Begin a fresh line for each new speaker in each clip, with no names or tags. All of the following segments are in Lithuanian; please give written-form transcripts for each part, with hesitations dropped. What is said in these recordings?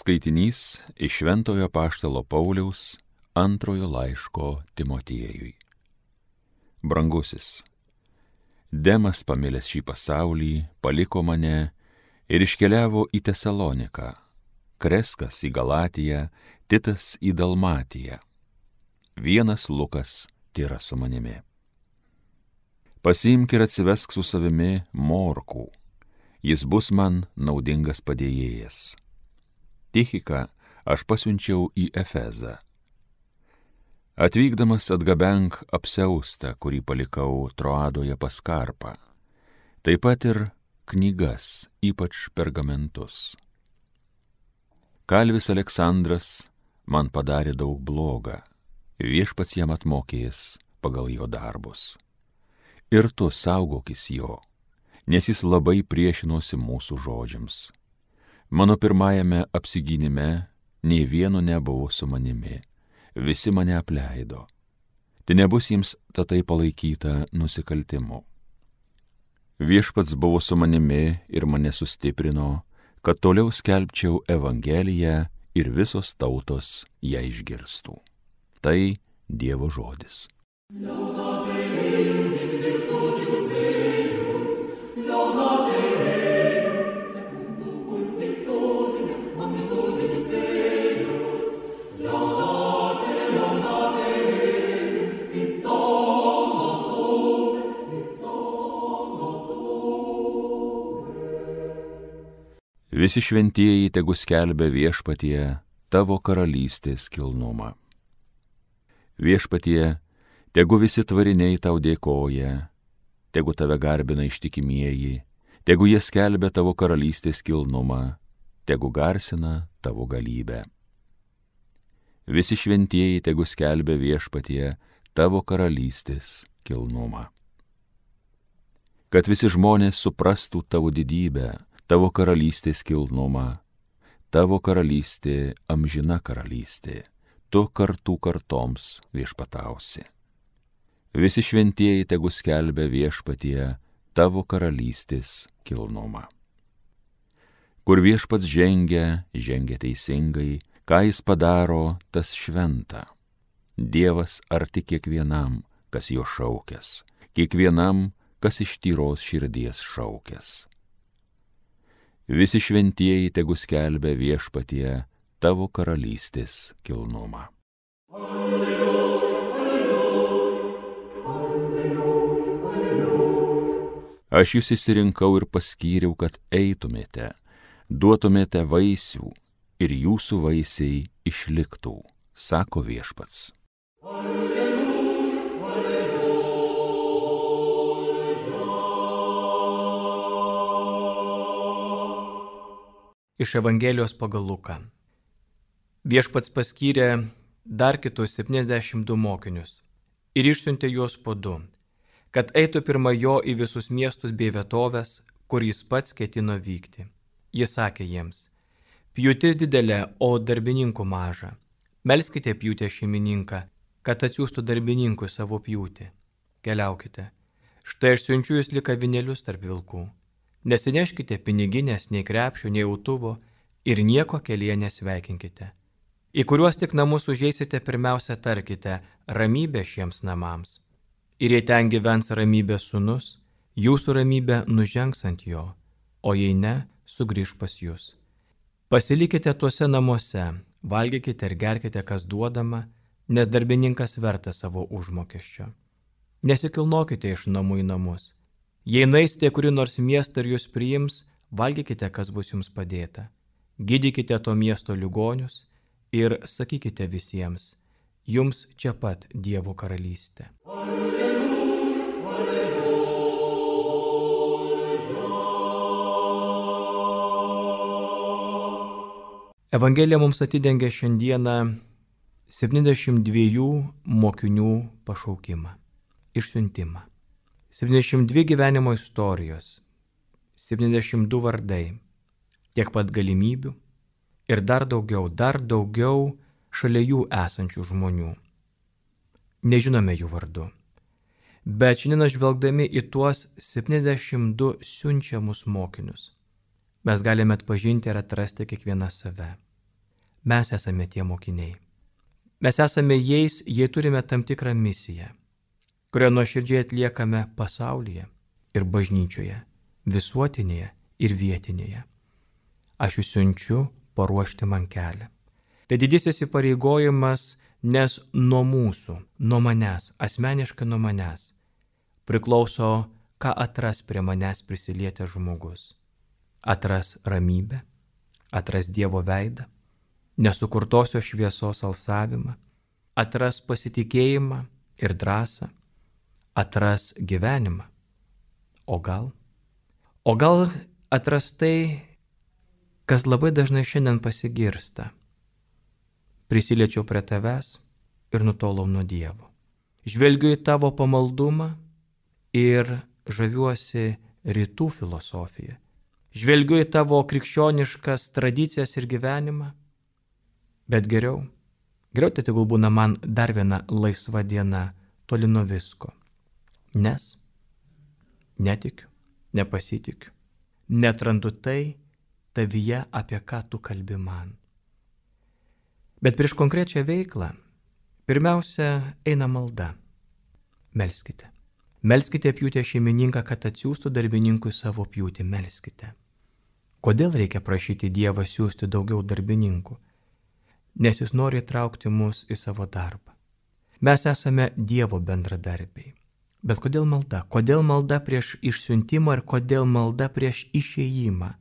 Skaitinys iš Šventojo Apaštalo Pauliaus antrojo laiško Timotiejui. Brangusis, Demas, pamilęs šį pasaulį, paliko mane ir iškeliavo į Tesaloniką, Kreskas į Galatiją, Titas į Dalmatiją. Vienas Lukas tėra su manimi. Pasiimk ir atsivesk su savimi Morkų, jis bus man naudingas padėjėjas. Tichiką aš pasiunčiau į Efezą. Atvykdamas atgabenk apsiaustą, kurį palikau Troadoje pas Karpą, taip pat ir knygas, ypač pergamentus. Kalvis Aleksandras man padarė daug bloga, viešpats jam atmokės pagal jo darbus. Ir tu saugokis jo, nes jis labai priešinosi mūsų žodžiams. Mano pirmajame apsigynime nei vieno nebuvo su manimi, visi mane apleido. Tai nebus jiems tatai palaikyta nusikaltimu. Viešpats buvo su manimi ir mane sustiprino, kad toliau skelbčiau Evangeliją ir visos tautos ją išgirstų. Tai Dievo žodis. Visi šventieji tegu skelbia viešpatie tavo karalystės kilnumą. Viešpatie, tegu visi tvariniai tau dėkoja, tegu tave garbina ištikimieji, tegu jie skelbia tavo karalystės kilnumą, tegu garsina tavo galybę. Visi šventieji tegu skelbia viešpatie tavo karalystės kilnumą. Kad visi žmonės suprastų tavo didybę, tavo karalystės kilnumą, tavo karalystė amžina karalystė, tu kartų kartoms viešpatausi. Visi šventieji tegu skelbia viešpatie tavo karalystės kilnumą. Kur viešpats žengia teisingai, ką jis padaro, tas šventa. Dievas arti kiekvienam, kas jo šaukęs, kiekvienam, kas iš tyros širdies šaukęs. Visi šventieji tegu skelbia viešpatie tavo karalystės kilnumą. Alleluja, alleluja, alleluja. Aš jūs išsirinkau ir paskyriau, kad eitumėte, duotumėte vaisių ir jūsų vaisiai išliktų, sako viešpats.
Iš Evangelijos pagal Luką. Viešpats paskyrė dar kitus 72 mokinius ir išsiuntė juos po 2, kad eitų pirma jo į visus miestus bei vietovės, kur jis pats ketino vykti. Jis sakė jiems: pjūtis didelė, o darbininkų maža. Melskite pjūtę šeimininką, kad atsiųstų darbininkui savo pjūtį. Keliaukite. Štai aš siunčiu jūs lyg avinėlius tarp vilkų. Nesineškite piniginės, nei krepšio, nei autuvo ir nieko kelyje nesveikinkite. Į kuriuos tik namus užeisite, pirmiausia tarkite: ramybė šiems namams. Ir jei ten gyvens ramybės sūnus, jūsų ramybė nužengs ant jo, o jei ne, sugrįš pas jūs. Pasilikite tuose namuose, valgykite ir gerkite, kas duodama, nes darbininkas vertas savo užmokesčio. Nesikilnokite iš namų į namus. Jei nueisite kurį nors miestą ir jūs priims, valgykite, kas bus jums padėta. Gydykite to miesto ligonius ir sakykite visiems: jums čia pat Dievo karalystė. Alleluja, alleluja. Evangelija mums atidengia šiandieną 72 mokinių pašaukimą, išsiuntimą. 72 gyvenimo istorijos, 72 vardai, tiek pat galimybių ir dar daugiau šalia jų esančių žmonių. Nežinome jų vardu, bet šiandien žvelgdami į tuos 72 siunčiamus mokinius, mes galime atpažinti ir atrasti kiekvieną save. Mes esame tie mokiniai. Mes esame jais, jei turime tam tikrą misiją, kurią nuoširdžiai atliekame pasaulyje ir bažnyčioje, visuotinėje ir vietinėje. Aš jūs siunčiu paruošti man kelią. Tai didysis įpareigojimas, nes nuo mūsų, nuo manęs, asmeniškai nuo manęs, priklauso, ką atras prie manęs prisilietęs žmogus. Atras ramybę, atras Dievo veidą, nesukurtosios šviesos alsavimą, atras pasitikėjimą ir drąsą, atras gyvenimą. O gal atras tai, kas labai dažnai šiandien pasigirsta. Prisiliečiau prie tavęs ir nutolau nuo Dievo. Žvelgiu į tavo pamaldumą ir žaviuosi rytų filosofiją. Žvelgiu į tavo krikščioniškas tradicijas ir gyvenimą. Bet geriau tai tegul būna man dar viena laisva diena toli nuo visko. Nes netikiu, nepasitikiu, netrandu tai tavyje, apie ką tu kalbi man. Bet prieš konkrečią veiklą pirmiausia eina malda. Melskite. Melskite pjūtę šeimininką, kad atsiųstų darbininkui savo pjūtį. Melskite. Kodėl reikia prašyti Dievą siųsti daugiau darbininkų? Nes jis nori įtraukti mus į savo darbą. Mes esame Dievo bendradarbiai. Bet kodėl malda? Kodėl malda prieš išsiuntimą ir kodėl malda prieš išėjimą?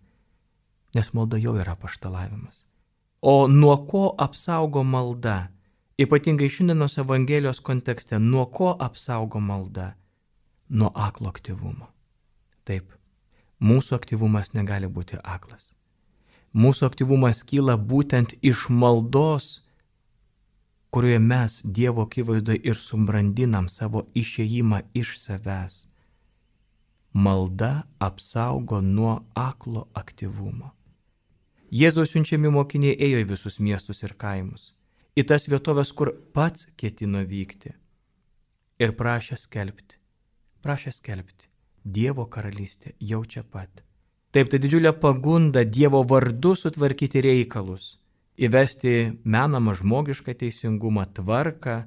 Nes malda jau yra apaštalavimas. O nuo ko apsaugo malda? Ypatingai šiandienos Evangelijos kontekste, nuo ko apsaugo malda? Nuo aklo aktyvumo. Taip, mūsų aktyvumas negali būti aklas. Mūsų aktyvumas kyla būtent iš maldos, kurioje mes Dievo akivaizdoje ir subrandinam savo išėjimą iš savęs. Malda apsaugo nuo aklo aktyvumo. Jėzaus siunčiami mokiniai ėjo į visus miestus ir kaimus, į tas vietovės, kur pats ketino vykti, ir prašė skelbti, Dievo karalystė jau čia pat. Taip, tai didžiulė pagunda Dievo vardu sutvarkyti reikalus, įvesti menamą žmogišką teisingumą, tvarką,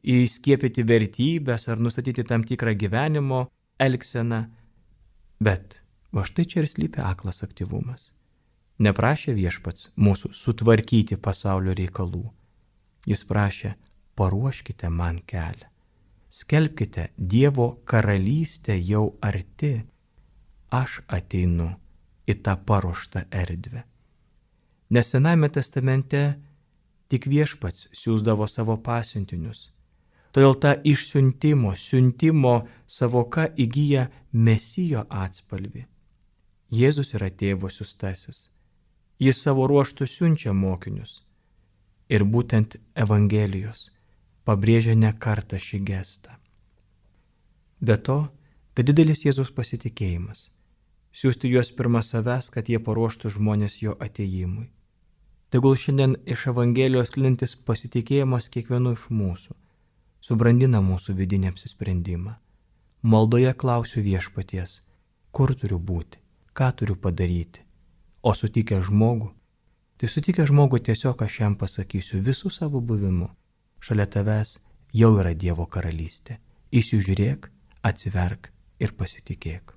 įskiepyti vertybės ar nustatyti tam tikrą gyvenimo elgseną. Bet va štai čia ir slypi aklas aktyvumas. Neprašė Viešpats mūsų sutvarkyti pasaulio reikalų. Jis prašė, paruoškite man kelią. Skelbkite, Dievo karalystė jau arti. Aš ateinu į tą paruoštą erdvę. Nes Senajame testamente tik Viešpats siųsdavo savo pasiuntinius. Todėl ta siuntimo savoka įgyja Mesijo atspalvį. Jėzus yra Tėvo siųstasis. Jis savo ruožtu siunčia mokinius. Ir būtent Evangelijos pabrėžia ne kartą šį gestą. Be to, tai didelis Jėzus pasitikėjimas. Siųsti juos pirma savęs, kad jie paruoštų žmonės jo atėjimui. Tegul šiandien iš Evangelijos sklindantis pasitikėjimas kiekvienu iš mūsų subrandina mūsų vidinį apsisprendimą. Maldoje klausiu Viešpaties, kur turiu būti, ką turiu padaryti. O sutikę žmogų, tiesiog aš jam pasakysiu visų savo buvimu. Šalia tavęs jau yra Dievo karalystė. Įsižiūrėk, atsiverk ir pasitikėk.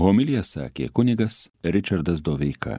Homiliją sakė kunigas Ričardas Doveika.